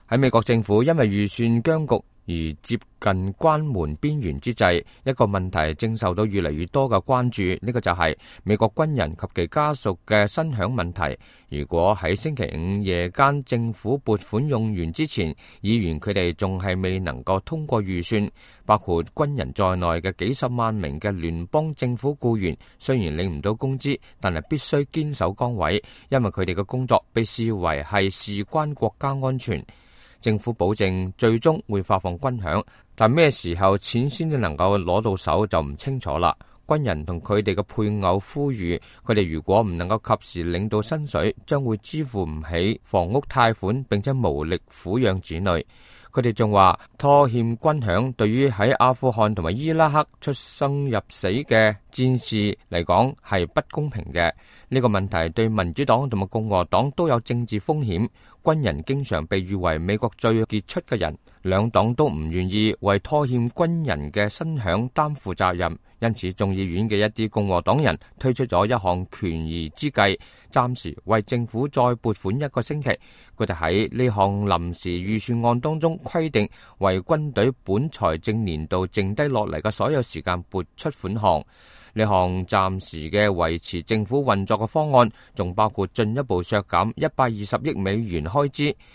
喺美國政府因為預算僵局而接近關門邊緣之際，一個問題正受到越嚟越多嘅關注，呢個就係美國軍人及其家屬嘅薪餉問題。如果喺星期五夜間政府撥款用完之前，議員佢哋仲係未能夠通過預算，包括軍人在內嘅幾十萬名嘅聯邦政府僱員，雖然領唔到工資，但係必須堅守崗位，因為佢哋嘅工作被視為係事關國家安全。政府保證最終會發放軍餉，但咩時候錢先至能夠攞到手就唔清楚啦。軍人同佢哋嘅配偶呼籲，佢哋如果唔能夠及時領到薪水，將會支付唔起房屋貸款，並且無力撫養子女。佢哋仲話拖欠軍餉對於喺阿富汗同埋伊拉克出生入死嘅戰士嚟講係不公平嘅。呢個問題對民主黨同埋共和黨都有政治風險。軍人經常被譽為美國最傑出嘅人，兩黨都唔願意為拖欠軍人嘅薪餉擔負責任，因此眾議院嘅一啲共和黨人推出咗一項權宜之計，暫時為政府再撥款1個星期。佢哋喺呢項臨時預算案當中規定，為軍隊本財政年度剩低落嚟嘅所有時間撥出款項。呢項暫時嘅維持政府運作嘅方案，仲包括進一步削減120億美元開支，